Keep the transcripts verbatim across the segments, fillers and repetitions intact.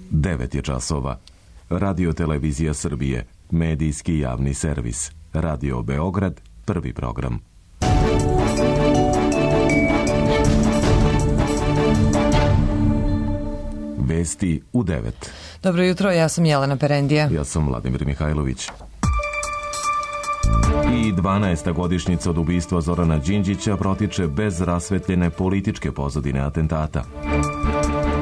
devet je časova. Radio Televizija Srbije, medijski javni servis. Radio Beograd, prvi program. Vesti u devet. Dobro jutro, ja sam Jelena Perendija. Ja sam Vladimir Mihajlović. I dvanaesta godišnjica od ubistva Zorana Đinđića protiče bez rasvetljene političke pozadine atentata.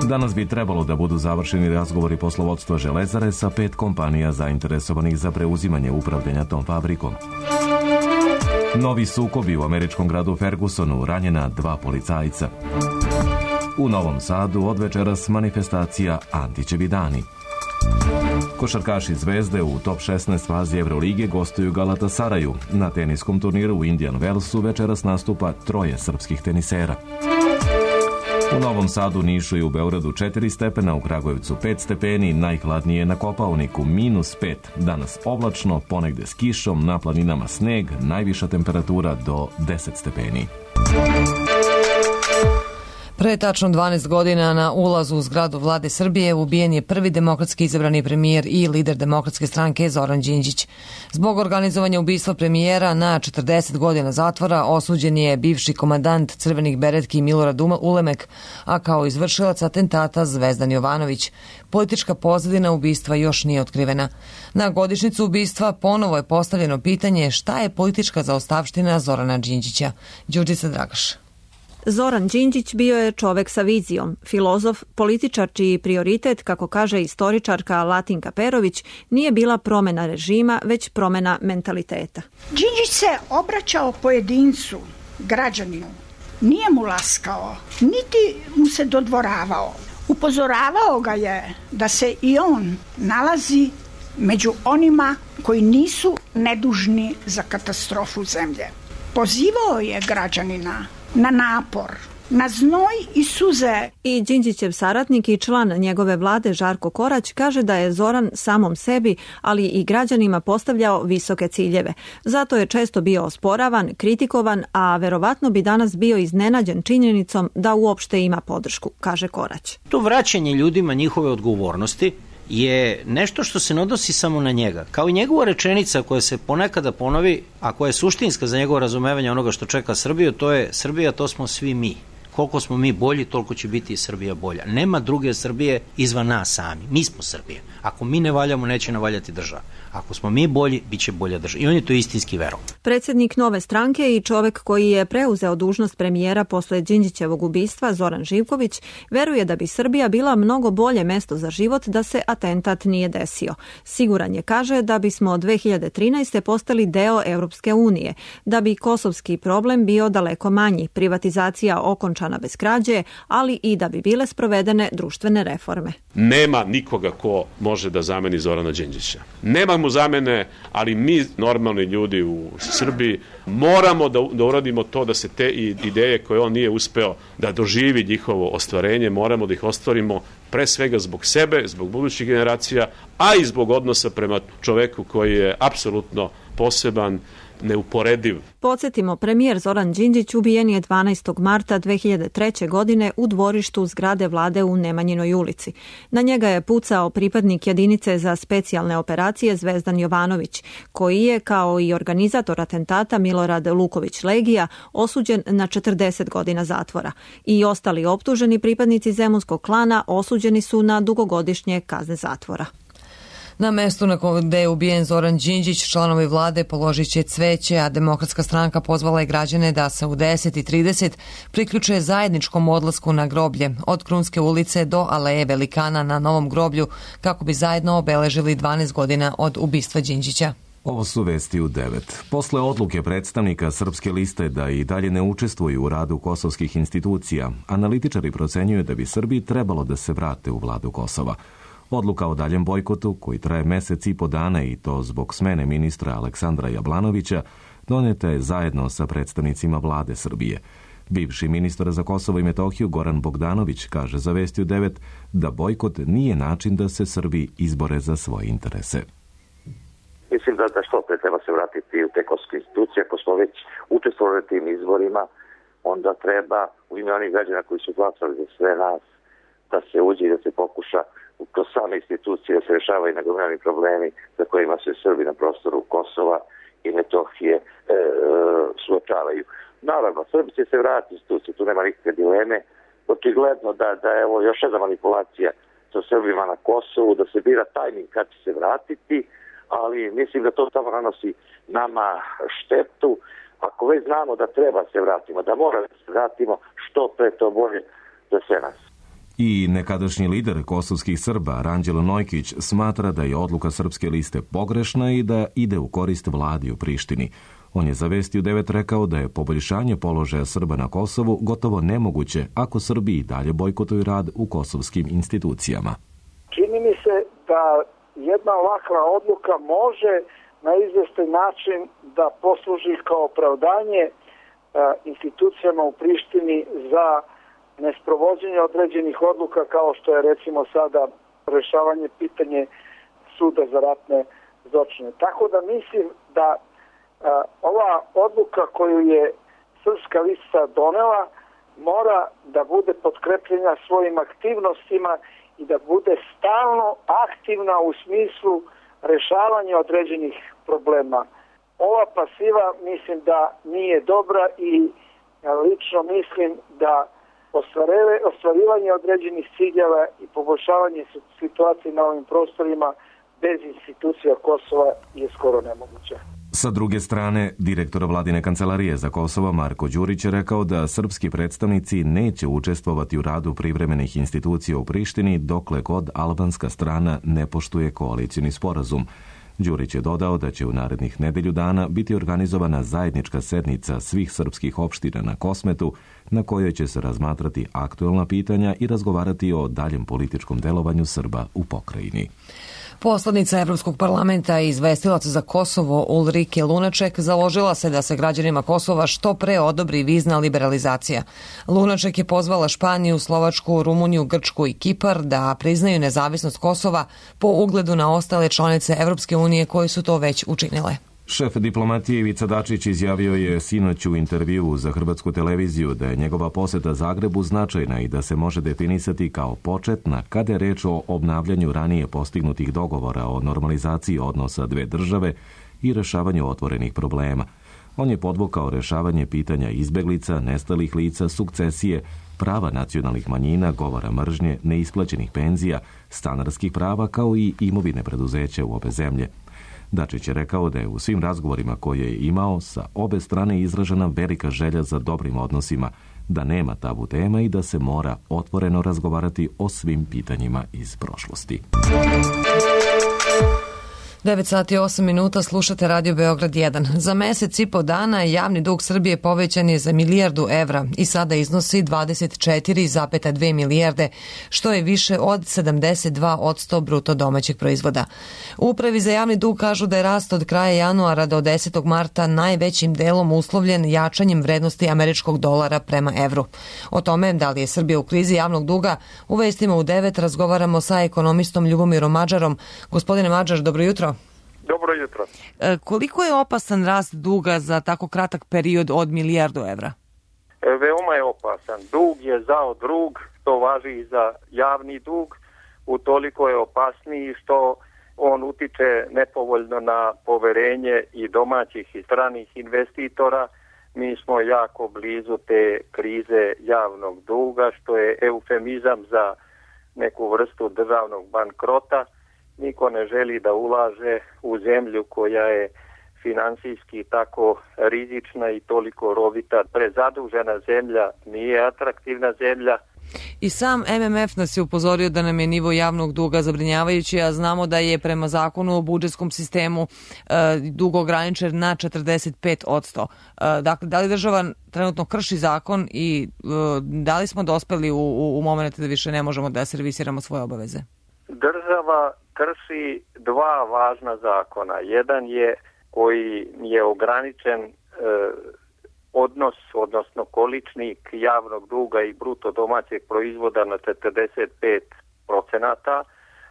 Danas bi trebalo da budu završeni razgovori poslovodstva Železare sa pet kompanija zainteresovanih za preuzimanje upravljanja tom fabrikom. Novi sukobi u američkom gradu Fergusonu, ranjena dva policajca. U Novom Sadu od večeras manifestacija Antićevi dani. Košarkaši Zvezde u top šesnaest fazi Evrolige gostuju Galatasaraju. Na teniskom turniru u Indian Wellsu večeras nastupa troje srpskih tenisera. U Novom Sadu, Nišu i u Beogradu četiri stepena, u Kragujevcu pet stepeni, najhladnije na Kopaoniku minus pet. Danas oblačno, ponegde s kišom, na planinama sneg, najviša temperatura do deset stepeni. Pre tačno dvanaest godina na ulazu u zgradu vlade Srbije ubijen je prvi demokratski izabrani premijer i lider demokratske stranke Zoran Đinđić. Zbog organizovanja ubistva premijera na četrdeset godina zatvora osuđen je bivši komandant crvenih beretki Milorad Ulemek, a kao izvršilac atentata Zvezdan Jovanović. Politička pozadina ubistva još nije otkrivena. Na godišnjicu ubistva ponovo je postavljeno pitanje šta je politička zaostavština Zorana Đinđića. Đurđica Dragaš. Zoran Đinđić bio je čovek sa vizijom, filozof, političar čiji prioritet, kako kaže istoričarka Latinka Perović, nije bila promena režima, već promena mentaliteta. Đinđić se obraćao pojedincu, građaninu. Nije mu laskao, niti mu se dodvoravao. Upozoravao ga je da se i on nalazi među onima koji nisu nedužni za katastrofu zemlje. Pozivao je građanina na napor, na znoj i suze. I Đinđićev saradnik i član njegove vlade Žarko Korać kaže da je Zoran samom sebi, ali i građanima postavljao visoke ciljeve. Zato je često bio osporavan, kritikovan, a verovatno bi danas bio iznenađen činjenicom da uopšte ima podršku, kaže Korać. To vraćanje ljudima njihove odgovornosti je nešto što se ne odnosi samo na njega. Kao i njegova rečenica koja se ponekada ponovi, a koja je suštinska za njegovo razumevanje onoga što čeka Srbiju, to je Srbija, to smo svi mi. Koliko smo mi bolji, toliko će biti i Srbija bolja. Nema druge Srbije izvan nas sami. Mi smo Srbija. Ako mi ne valjamo, neće navaljati država. Ako smo mi bolji, bit će bolja država. I on je to istinski verovao. Predsjednik Nove stranke i čovek koji je preuzeo dužnost premijera posle Đinđićevog ubistva, Zoran Živković, veruje da bi Srbija bila mnogo bolje mesto za život da se atentat nije desio. Siguran je, kaže, da bismo od dve hiljade trinaeste. postali deo Europske unije, da bi kosovski problem bio daleko manji, privatizacija okončana bez krađe, ali i da bi bile sprovedene društvene reforme. Nema nikoga ko može da zameni Zorana Đinđića. Nema mu zamene, ali mi, normalni ljudi u Srbiji, moramo da, da uradimo to da se te ideje koje on nije uspeo da doživi njihovo ostvarenje, moramo da ih ostvarimo pre svega zbog sebe, zbog budućih generacija, a i zbog odnosa prema čoveku koji je apsolutno poseban, neuporediv. Podsjetimo, premijer Zoran Đinđić ubijen je dvanaestog marta dve hiljade treće. godine u dvorištu zgrade vlade u Nemanjinoj ulici. Na njega je pucao pripadnik jedinice za specijalne operacije Zvezdan Jovanović, koji je, kao i organizator atentata Milorad Luković Legija, osuđen na četrdeset godina zatvora. I ostali optuženi pripadnici zemunskog klana osuđeni su na dugogodišnje kazne zatvora. Na mestu na gde je ubijen Zoran Đinđić, članovi vlade položit će cveće, a Demokratska stranka pozvala je građane da se u deset i trideset priključe zajedničkom odlasku na groblje od Krunske ulice do Aleje Velikana na Novom groblju, kako bi zajedno obeležili dvanaest godina od ubistva Đinđića. Ovo su vesti u devet. Posle odluke predstavnika Srpske liste da i dalje ne učestvuju u radu kosovskih institucija, analitičari procenjuju da bi Srbiji trebalo da se vrate u vladu Kosova. Odluka o daljem bojkotu, koji traje mesec i po dana i to zbog smene ministra Aleksandra Jablanovića, doneta je zajedno sa predstavnicima vlade Srbije. Bivši ministar za Kosovo i Metohiju Goran Bogdanović kaže za Vesti u devet da bojkot nije način da se Srbi izbore za svoje interese. Mislim da, da što pre treba se vratiti u te kosovske institucije. Ako smo već učestvovali tim izborima, onda treba u ime onih građana koji su glasali za sve nas da se uđe i da se pokuša kroz same institucije da se rešavaju nagomilani problemi za kojima se Srbi na prostoru Kosova i Metohije e, suočavaju. Naravno, Srbi će se vratiti institucije, tu nema nikakve dileme. Očigledno da, da je ovo još jedna manipulacija sa Srbima na Kosovu, da se bira tajming kad će se vratiti, ali mislim da to samo nanosi nama štetu. Ako već znamo da treba se vratimo, da moramo da se vratimo, što pre to bolje za sve nas. I nekadašnji lider kosovskih Srba, Ranđelo Nojkić, smatra da je odluka Srpske liste pogrešna i da ide u korist vladi u Prištini. On je za Vesti u devet rekao da je poboljšanje položaja Srba na Kosovu gotovo nemoguće ako Srbi i dalje bojkotuju rad u kosovskim institucijama. Čini mi se da jedna ovakva odluka može na izvestan način da posluži kao opravdanje institucijama u Prištini za nesprovođenje određenih odluka kao što je recimo sada rešavanje pitanje suda za ratne zločine. Tako da mislim da a, ova odluka koju je Srpska lista donela mora da bude potkrepljena svojim aktivnostima i da bude stalno aktivna u smislu rešavanja određenih problema. Ova pasiva mislim da nije dobra i lično mislim da ostvarivanje određenih ciljeva i poboljšavanje situacije na ovim prostorima bez institucija Kosova je skoro nemoguće. Sa druge strane, direktor vladine kancelarije za Kosovo Marko Đurić je rekao da srpski predstavnici neće učestvovati u radu privremenih institucija u Prištini dokle god albanska strana ne poštuje koalicioni sporazum. Đurić je dodao da će u narednih nedelju dana biti organizovana zajednička sednica svih srpskih opština na Kosmetu, na kojoj će se razmatrati aktuelna pitanja i razgovarati o daljem političkom delovanju Srba u pokrajini. Poslanica Evropskog parlamenta i izvestilac za Kosovo Ulrike Lunaček založila se da se građanima Kosova što pre odobri vizna liberalizacija. Lunaček je pozvala Španiju, Slovačku, Rumuniju, Grčku i Kipar da priznaju nezavisnost Kosova po ugledu na ostale članice Evropske unije koje su to već učinile. Šef diplomatije Ivica Dačić izjavio je sinoć u intervjuu za Hrvatsku televiziju da je njegova poseta Zagrebu značajna i da se može definisati kao početna kada je reč o obnavljanju ranije postignutih dogovora o normalizaciji odnosa dve države i rešavanju otvorenih problema. On je podvukao rešavanje pitanja izbeglica, nestalih lica, sukcesije, prava nacionalnih manjina, govora mržnje, neisplaćenih penzija, stanarskih prava kao i imovine preduzeća u obe zemlje. Dačić je rekao da je u svim razgovorima koje je imao sa obe strane izražena velika želja za dobrim odnosima, da nema tabu tema i da se mora otvoreno razgovarati o svim pitanjima iz prošlosti. devet sati i osam minuta, slušate Radio Beograd jedan. Za mesec i po dana javni dug Srbije povećan je za milijardu evra i sada iznosi dvadeset četiri zarez dve milijarde, što je više od sedamdeset dva posto bruto domaćeg proizvoda. U Upravi za javni dug kažu da je rast od kraja januara do desetog marta najvećim delom uslovljen jačanjem vrednosti američkog dolara prema evru. O tome da li je Srbija u krizi javnog duga, u vestima u devet razgovaramo sa ekonomistom Ljubomirom Mađarom. Gospodine Mađar, dobro jutro. Dobro jutro. E, koliko je opasan rast duga za tako kratak period od milijardu evra? E, veoma je opasan. Dug je zao drug, to važi i za javni dug, utoliko je opasniji što on utiče nepovoljno na poverenje i domaćih i stranih investitora. Mi smo jako blizu te krize javnog duga, što je eufemizam za neku vrstu državnog bankrota. Niko ne želi da ulaže u zemlju koja je finansijski tako rizična i toliko rovita. Prezadužena zemlja nije atraktivna zemlja. I sam M M F nas je upozorio da nam je nivo javnog duga zabrinjavajući, a znamo da je prema zakonu o budžetskom sistemu e, dug ograničen na četrdeset pet posto. E, dakle, da li država trenutno krši zakon i e, da li smo dospeli u, u, u moment da više ne možemo da servisiramo svoje obaveze? Država krši dva važna zakona. Jedan je koji je ograničen e, odnos, odnosno količnik javnog duga i bruto domaćeg proizvoda na četrdeset pet procenata,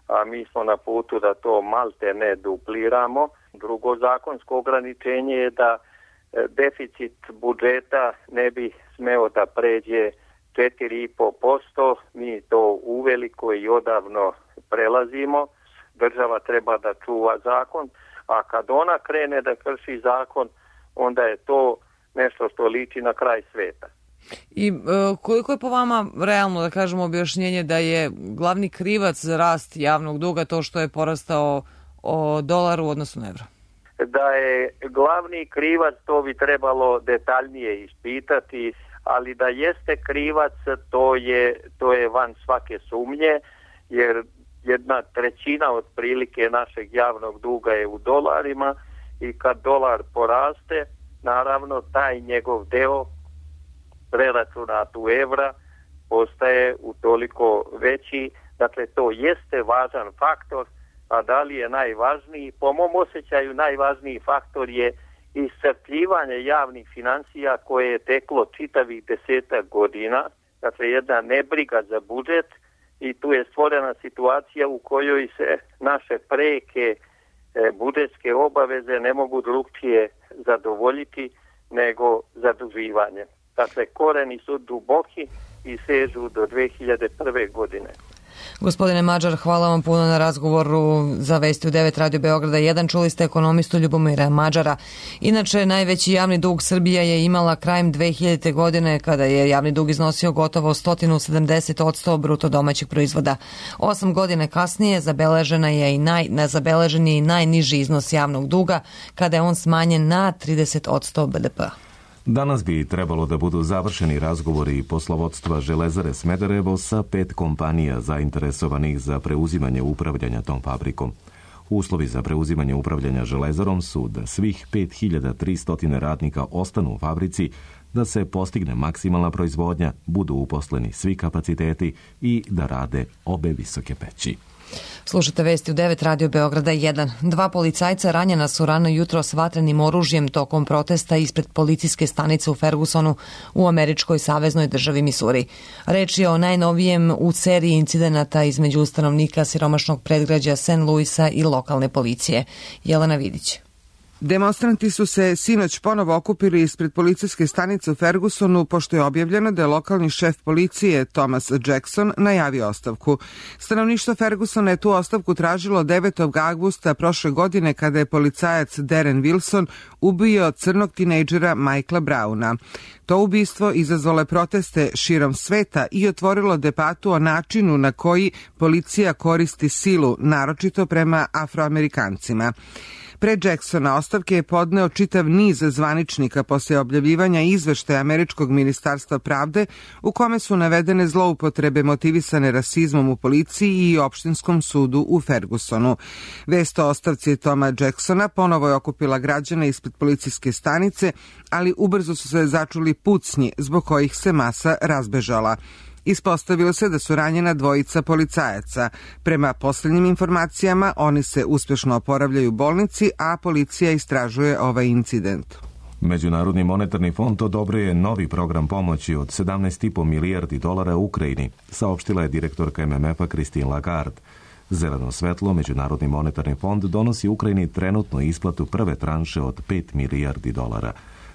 a mi smo na putu da to malte ne dupliramo. Drugo zakonsko ograničenje je da deficit budžeta ne bi smeo da pređe četiri i po posto, mi to uveliko i odavno prelazimo. Država treba da čuva zakon, a kad ona krene da krši zakon, onda je to nešto što liči na kraj sveta. I e, koliko je po vama realno, da kažemo, objašnjenje da je glavni krivac za rast javnog duga to što je porastao o dolaru u odnosu na evro? Da je glavni krivac, to bi trebalo detaljnije ispitati, ali da jeste krivac, to je, to je van svake sumnje, jer jedna trećina otprilike našeg javnog duga je u dolarima i kad dolar poraste, naravno taj njegov deo preračunat u evra postaje utoliko veći. Dakle, to jeste važan faktor, a da li je najvažniji? Po mom osjećaju najvažniji faktor je iscrpljivanje javnih financija koje je teklo čitavih desetak godina. Dakle, jedna nebriga za budžet i tu je stvorena situacija u kojoj se naše preke e, budžetske obaveze ne mogu drugčije zadovoljiti nego zaduživanje. Dakle, koreni su duboki i sežu do dve hiljade prve. godine. Gospodine Mađar, hvala vam puno na razgovoru za Vesti u devet Radio Beograda jedan. Čuli ste ekonomistu Ljubomira Mađara. Inače, najveći javni dug Srbija je imala krajem dve hiljadite. godine kada je javni dug iznosio gotovo sto sedamdeset posto bruto domaćeg proizvoda. Osam godine kasnije zabeležena je i naj, zabeležen je i najniži iznos javnog duga kada je on smanjen na trideset posto B D P-a. Danas bi trebalo da budu završeni razgovori poslovodstva Železare Smederevo sa pet kompanija zainteresovanih za preuzimanje upravljanja tom fabrikom. Uslovi za preuzimanje upravljanja Železarom su da svih pet hiljada tristo radnika ostanu u fabrici, da se postigne maksimalna proizvodnja, budu uposleni svi kapaciteti i da rade obe visoke peći. Slušate Vesti u devet Radio Beograda jedan. Dva policajca ranjena su rano jutro s vatrenim oružjem tokom protesta ispred policijske stanice u Fergusonu u američkoj saveznoj državi Misuri. Reč je o najnovijem u seriji incidenata između stanovnika siromašnog predgrađa Saint Louisa i lokalne policije. Jelena Vidić. Demonstranti su se sinoć ponovo okupili ispred policijske stanice u Fergusonu pošto je objavljeno da je lokalni šef policije Thomas Jackson najavio ostavku. Stanovništvo Fergusona je tu ostavku tražilo devetog avgusta prošle godine kada je policajac Darren Wilson ubio crnog tinejdžera Michaela Browna. To ubistvo izazvalo je proteste širom sveta i otvorilo debatu o načinu na koji policija koristi silu, naročito prema Afroamerikancima. Pre Jacksona ostavke je podneo čitav niz zvaničnika posle objavljivanja izveštaja Američkog ministarstva pravde u kome su navedene zloupotrebe motivisane rasizmom u policiji i opštinskom sudu u Fergusonu. Vest o ostavci Toma Jacksona ponovo je okupila građane ispred policijske stanice, ali ubrzo su se začuli pucnji zbog kojih se masa razbežala. Ispostavilo se da su ranjena dvojica policajaca. Prema posljednjim informacijama, oni se uspješno oporavljaju u bolnici, a policija istražuje ovaj incident. Međunarodni monetarni fond odobrio je novi program pomoći od sedamnaest i po milijardi dolara u Ukrajini, saopštila je direktorka M M F-a Christine Lagarde. Zeleno svetlo Međunarodni monetarni fond donosi Ukrajini trenutno isplatu prve tranše od pet milijardi dolara.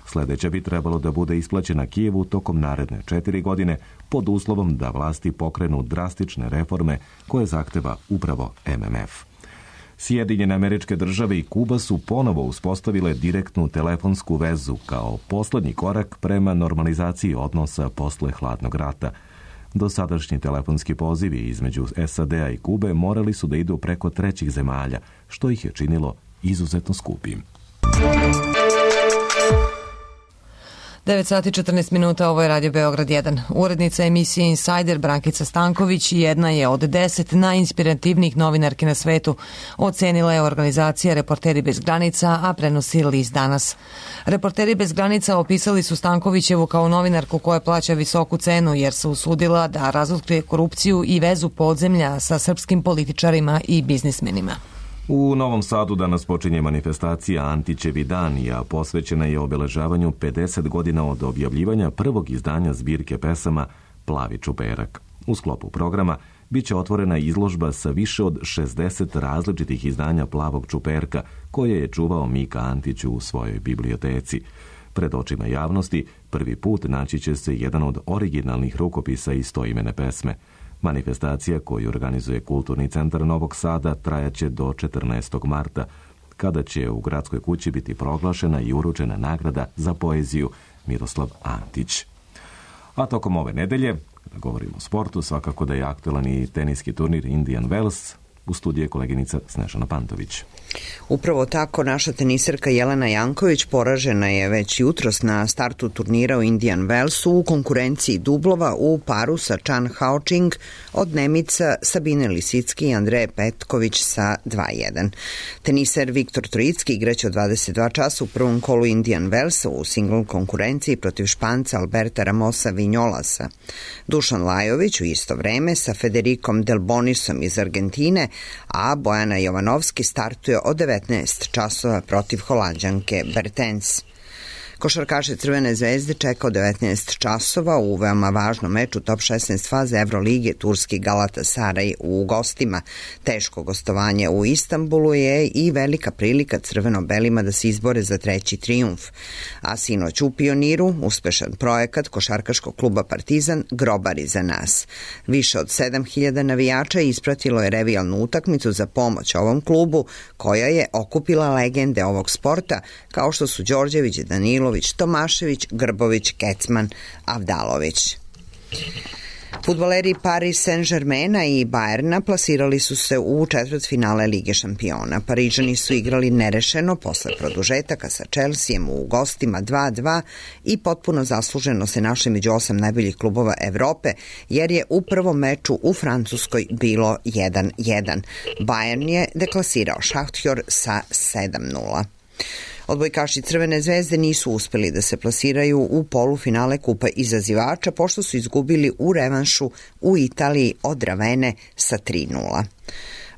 Sledeća bi trebalo da bude isplaćena Kijevu tokom naredne četiri godine pod uslovom da vlasti pokrenu drastične reforme koje zahteva upravo M M F. Sjedinjene Američke Države i Kuba su ponovo uspostavile direktnu telefonsku vezu kao poslednji korak prema normalizaciji odnosa posle hladnog rata. Dosadašnji telefonski pozivi između S A D-a i Kube morali su da idu preko trećih zemalja, što ih je činilo izuzetno skupim. devet sati četrnaest minuta, ovo je Radio Beograd jedan. Urednica emisije Insider Brankica Stanković jedna je od deset najinspirativnijih novinarki na svetu. Ocenila je organizacija Reporteri bez granica, a prenosi list Danas. Reporteri bez granica opisali su Stankovićevu kao novinarku koja plaća visoku cenu jer se usudila da razotkrije korupciju i vezu podzemlja sa srpskim političarima i biznismenima. U Novom Sadu danas počinje manifestacija Antićevi dani, a posvećena je obeležavanju pedeset godina od objavljivanja prvog izdanja zbirke pesama Plavi čuperak. U sklopu programa biće otvorena izložba sa više od šezdeset različitih izdanja Plavog čuperka, koje je čuvao Mika Antić u svojoj biblioteci. Pred očima javnosti prvi put naći će se jedan od originalnih rukopisa istoimene pesme. Manifestacija koju organizuje Kulturni centar Novog Sada trajaće do četrnaestog marta, kada će u Gradskoj kući biti proglašena i uručena nagrada za poeziju Miroslav Antić. A tokom ove nedelje, kada govorimo o sportu, svakako da je aktualan i teniski turnir Indian Wells. U studiju je koleginica Snežana Pantović. Upravo tako, naša teniserka Jelena Janković poražena je već jutros na startu turnira u Indian Wellsu u konkurenciji dublova u paru sa Chan Hao-ching od Nemica Sabine Lisicki i Andreje Petković sa dva jedan. Teniser Viktor Trojicki igraće od dvadeset dva časa u prvom kolu Indian Wellsa u singl konkurenciji protiv Španca Alberta Ramosa Vinjolasa. Dušan Lajović u isto vreme sa Federikom Delbonisom iz Argentine, a Bojana Jovanovski startuje od devetnaest časova protiv Holanđanke Bertens. Košarkaše Crvene zvezde čeka od devetnaest časova u veoma važnom meču top šesnaest faze Evrolige turski Galatasaray u gostima. Teško gostovanje u Istanbulu je i velika prilika crveno-belima da se izbore za treći trijumf. A sinoć u Pioniru uspešan projekat košarkaškog kluba Partizan Grobari za nas. Više od sedam hiljada navijača ispratilo je revijalnu utakmicu za pomoć ovom klubu, koja je okupila legende ovog sporta kao što su Đorđević, Danilo, Tomašević, Grbović, Kecman, Avdalović. Fudbaleri Paris Saint-Germaina i Bayerna plasirali su se u četvrtfinale Lige šampiona. Parižani su igrali nerešeno posle produžetaka sa Chelseajem u gostima dva dva i potpuno zasluženo se našli među osam najboljih klubova Evrope, jer je u prvom meču u Francuskoj bilo jedan jedan. Bayern je deklasirao Šahtjor sa sedam nula. Odbojkaši Crvene zvezde nisu uspeli da se plasiraju u polufinale Kupa izazivača, pošto su izgubili u revanšu u Italiji od Ravene sa tri nula.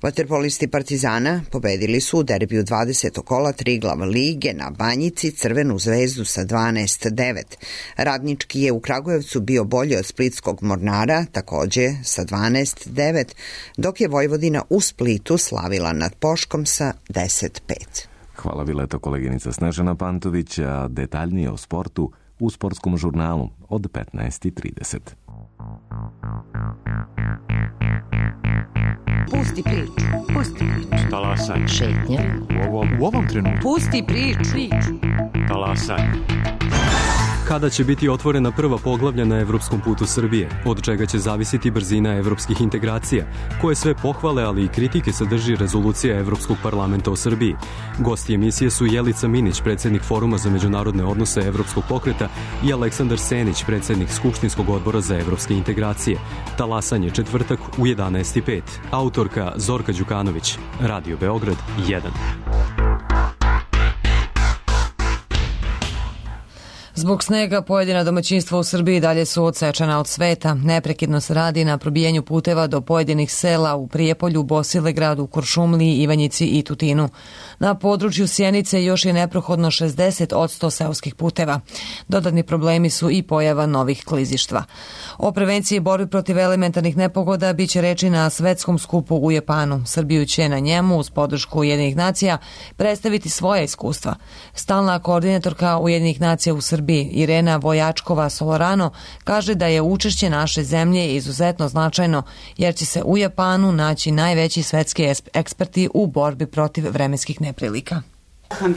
Vaterpolisti Partizana pobedili su u derbiju dvadesetog kola Triglav lige na Banjici Crvenu zvezdu sa dvanaest devet. Radnički je u Kragujevcu bio bolji od splitskog Mornara, takođe sa dvanaest devet, dok je Vojvodina u Splitu slavila nad Poškom sa deset pet. Hvala Vileto, koleginica Snežana Pantović, a detaljnije o sportu u sportskom žurnalu od petnaest i trideset. Pusti priču, pusti priču. Talasanje. Šetnja. U ovom, u ovom trenutku. Pusti priču. priču. Talasanje. Kada će biti otvorena prva poglavlja na evropskom putu Srbije, od čega će zavisiti brzina evropskih integracija, koje sve pohvale, ali i kritike sadrži rezolucija Evropskog parlamenta o Srbiji. Gosti emisije su Jelica Minić, predsjednik Foruma za međunarodne odnose Evropskog pokreta, i Aleksandar Senić, predsjednik Skupštinskog odbora za evropske integracije. Talasanje četvrtak u jedanaest i pet. Autorka Zorka Đukanović. Radio Beograd jedan. Zbog snega pojedina domaćinstva u Srbiji dalje su odsečena od sveta. Neprekidno se radi na probijenju puteva do pojedinih sela u Prijepolju, Bosilegradu, Kuršumliji, Ivanjici i Tutinu. Na području Sjenice još je neprohodno šezdeset odsto seoskih puteva. Dodatni problemi su i pojava novih klizištva. O prevenciji i borbi protiv elementarnih nepogoda biće reči na svetskom skupu u Japanu. Srbiju će na njemu, uz podršku Ujedinjenih nacija, predstaviti svoje iskustva. Stalna koordinatorka Ujedinjenih nacija u Srbiji, Irena Vojačkova-Solorano, kaže da je učešće naše zemlje izuzetno značajno, jer će se u Japanu naći najveći svetski eksperti u borbi protiv vremenskih neprilika.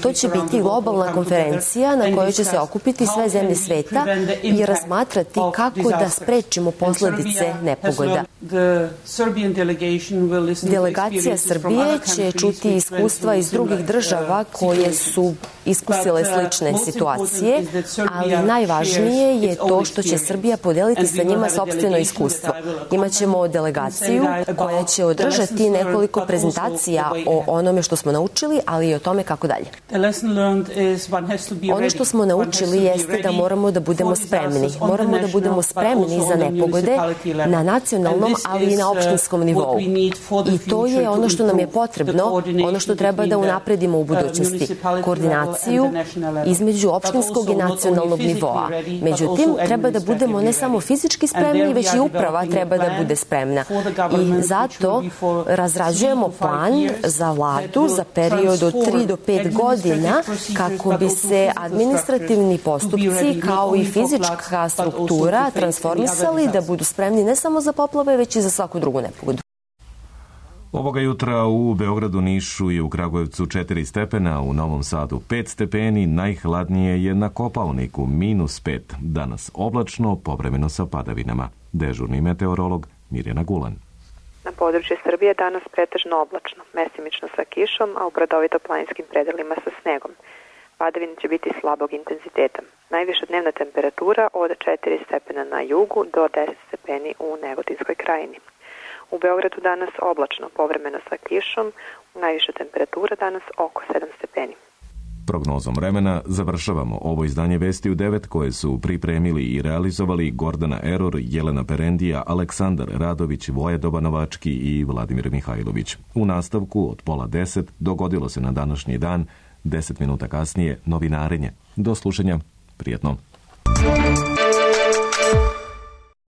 To će biti globalna konferencija na kojoj će se okupiti sve zemlje sveta i razmatrati kako da sprečimo posledice nepogoda. Delegacija Srbije će čuti iskustva iz drugih država koje su iskusile slične situacije, ali najvažnije je to što će Srbija podeliti sa njima sopstveno iskustvo. Imaćemo delegaciju koja će održati nekoliko prezentacija o onome što smo naučili, ali i o tome kako dalje. Ono što smo naučili jeste da moramo da budemo spremni. Moramo da budemo spremni za nepogode na nacionalnom, ali i na opštinskom nivou. I to je ono što nam je potrebno, ono što treba da unapredimo u budućnosti. Koordinacija koordinaciju između opštinskog i nacionalnog nivoa. Međutim, treba da budemo ne samo fizički spremni, već i uprava treba da bude spremna. I zato razrađujemo plan za vladu za period od tri do pet godina kako bi se administrativni postupci kao i fizička struktura transformisali da budu spremni ne samo za poplave, već i za svaku drugu nepogodu. Ovoga jutra u Beogradu, Nišu i u Kragujevcu četiri stepena, u Novom Sadu pet stepeni, najhladnije je na Kopaoniku minus pet. Danas oblačno, povremeno sa padavinama. Dežurni meteorolog Mirjana Gulan. Na području Srbije danas pretežno oblačno, mesimično sa kišom, a u brdovito-planinskim predelima sa snegom. Padavine će biti slabog intenziteta. Najviša dnevna temperatura od četiri stepena na jugu do deset stepeni u Negotinskoj krajini. U Beogradu danas oblačno, povremeno sa kišom, najviša temperatura danas oko sedam stepeni. Prognozom vremena završavamo ovo izdanje Vesti u devet koje su pripremili i realizovali Gordana Eror, Jelena Perendija, Aleksandar Radović, Vojedoba Novački i Vladimir Mihajlović. U nastavku od pola deset dogodilo se na današnji dan, deset minuta kasnije novinarenje. Do slušanja, prijetno.